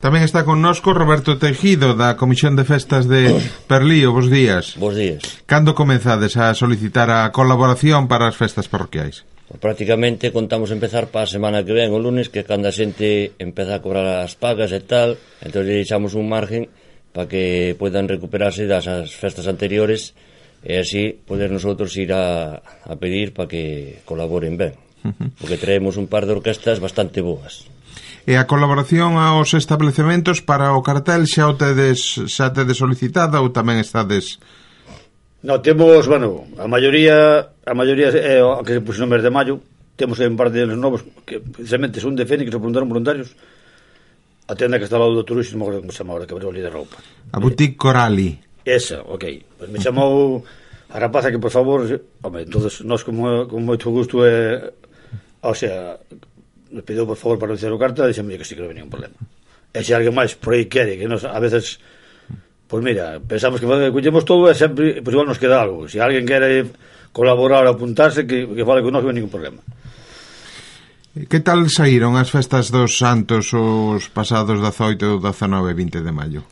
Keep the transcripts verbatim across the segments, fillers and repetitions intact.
Tamén está connosco Roberto Tejido, da Comisión de Festas de Perlío. Bos días. Bos días. Cando comezades a solicitar a colaboración para as festas parroquiais? Prácticamente contamos empezar para a semana que ven, o lunes, que cando a xente empeza a cobrar as pagas e tal, entón lle deixamos un margen para que podan recuperarse das as festas anteriores e así poder nosotros ir a, a pedir para que colaboren ben, porque traemos un par de orquestas bastante boas. E a colaboración aos establecementos para o cartel xa o tedes, xa tedes solicitada ou tamén estades... No, temos, bueno, a maioría a maioría é o que se puxo no mes de maio. Temos un par de novos que precisamente son de Fénix, que se apuntaron voluntarios. A tenda que está ao lado do turismo, como se chama agora, que abriu ali de roupa. A Boutique Corali. Esa, ok. Pues me chamou a rapaza que, por favor, home, entonces nós como, con moito gusto é, o sea, nos pediu por favor para realizar o carta, dixemos que sí que non venía un problema. E se alguén máis por aí quere, que nos, a veces, pois pues mira, pensamos que collemos todo e sempre, pois pues igual nos queda algo. Se alguén quere colaborar ou apuntarse, que, que fale con nós, non hai ningún problema. Que tal saíron as festas dos Santos os pasados dezaoito, dezanove e vinte de maio?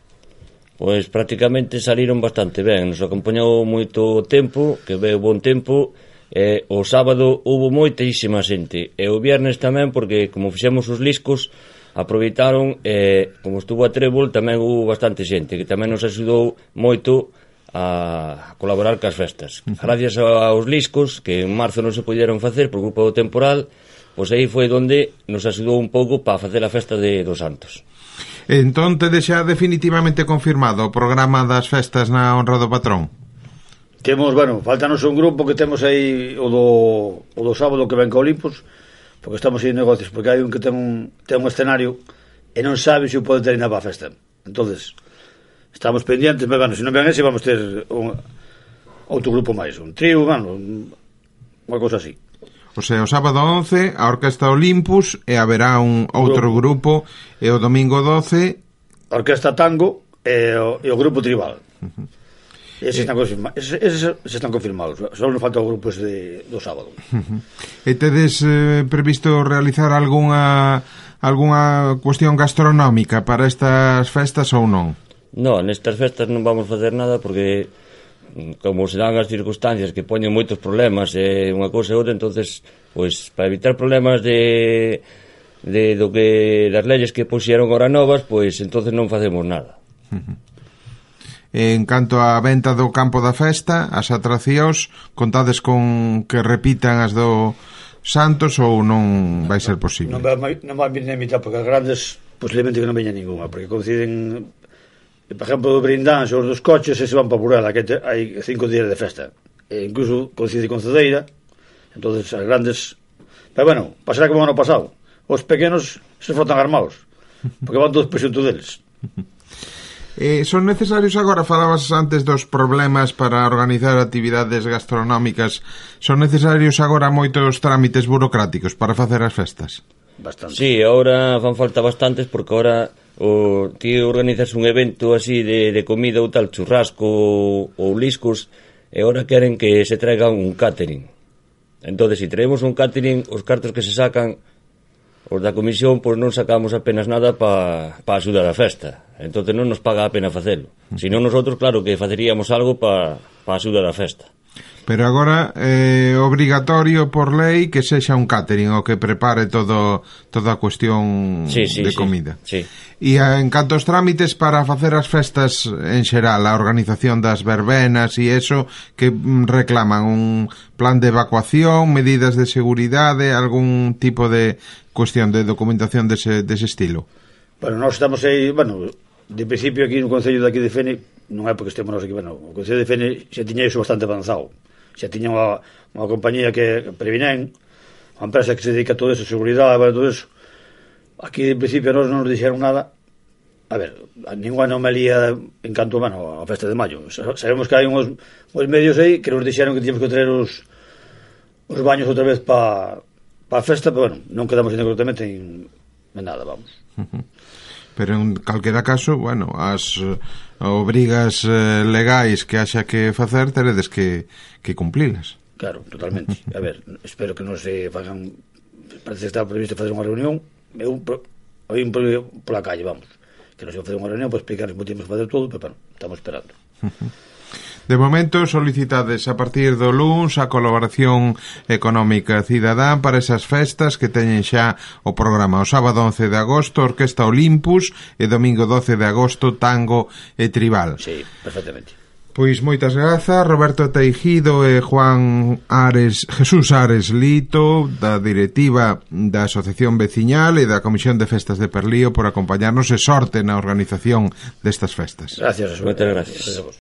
Pois prácticamente saliron bastante ben, nos acompañou moito tempo, que veo bon tempo. Eh, o sábado hubo moitísima xente e o viernes tamén, porque como fixemos os liscos aproveitaron, eh, como estuvo a Trébol tamén hubo bastante xente que tamén nos axudou moito a colaborar cas festas. Gracias aos liscos que en marzo non se pudieron facer por culpa do temporal, pois aí foi onde nos axudou un pouco para facer a festa de dos Santos. Entón tedes xa definitivamente confirmado o programa das festas na honra do patrón? Temos, bueno, faltanos un grupo que temos aí o do, o do sábado que ven ca Olimpos, porque estamos en negocios, porque hai un que ten un, ten un escenario e non sabe se o pode ter na para a festa. Entonces, estamos pendientes, pero bueno, se non ven ese, vamos ter un, outro grupo máis, un trío, bueno, unha cosa así. O sea, o sábado once, a Orquesta Olympus, e haberá un outro grupo, e o domingo doce... A Orquesta Tango e o, e o grupo Tribal. Uh-huh. Eses están confirmados, eses, eses están confirmados. Só nos falta o grupo ese do sábado. Uh-huh. E tedes eh, previsto realizar algunha algunha cuestión gastronómica para estas festas ou non? Non, nestas festas non vamos facer nada porque como se dan as circunstancias que poñen moitos problemas e unha cousa e outra, entonces, pois, para evitar problemas de de do que das leyes que puxeron ahora novas, pois entonces non facemos nada. Uh-huh. En canto á venta do campo da festa, as atraccións, contades con que repitan as do Santos ou non vai ser posible? Non vai, non vai vir nem mitad, porque as grandes posiblemente que non veña ninguna, porque coinciden, por exemplo, do Brindán, os dos coches, e se van para Burela, que hai cinco días de festa, e incluso coincide con Cedeira, entonces as grandes, pero bueno, pasará como o ano pasado, os pequenos se frotan armados, porque van todos por xunto deles. Eh, son necesarios agora, falabas antes dos problemas para organizar actividades gastronómicas, son necesarios agora moitos trámites burocráticos para facer as festas? Bastante. Sí, agora fan falta bastantes, porque agora o, ti organizas un evento así de, de comida ou tal, churrasco ou, ou liscos, e agora queren que se traiga un catering. Entonces, se si traemos un catering, os cartos que se sacan os da comisión, pois non sacamos apenas nada para pa axudar a festa. Entonces non nos paga a pena facelo. Se non, nosotros, claro, que faceríamos algo para pa axudar a festa. Pero agora é eh, obrigatorio por lei que sexa un catering o que prepare todo toda a cuestión sí, sí, de sí, comida. Sí. E en canto aos trámites para facer as festas en xeral, a organización das verbenas e eso, que reclaman un plan de evacuación, medidas de seguridade, algún tipo de cuestión de documentación dese, dese estilo? Bueno, nós estamos aí, bueno, de principio aquí no Concello de aquí de Fene, non é porque estemos nós aquí, bueno, o Concello de Fene xa tiña iso bastante avanzado. Xa tiña unha, unha compañía que Previnen, unha empresa que se dedica a todo eso, seguridade, a todo eso. Aquí de principio nós non nos dixeron nada. A ver, a ninguna anomalía en canto, bueno, a festa de maio. Sabemos que hai uns, uns medios aí que nos dixeron que tíamos que traer os, os baños outra vez para pa a festa, pero bueno, non quedamos incorrectamente en, en nada, vamos. Uh-huh. Pero en calquera caso, bueno, as uh, obrigas uh, legais que haxa que facer, teredes que, que cumplilas. Claro, totalmente. A ver, espero que non se fagan, parece que está previsto fazer unha reunión, eu, hai un pola calle, vamos. que nos iba a facer unha reunión para explicar como tínhamos que facer todo, pero bueno, estamos esperando. De momento solicitades a partir do luns a colaboración económica cidadá para esas festas que teñen xa o programa. O sábado once de agosto Orquesta Olympus e domingo doce de agosto Tango e Tribal. Sí, perfectamente. Pois moitas grazas, Roberto Teijido e Juan Ares, Jesús Ares Lito, da directiva da Asociación Veciñal e da Comisión de Festas de Perlío por acompañarnos e sorte na organización destas festas. Gracias, Moitas gracias.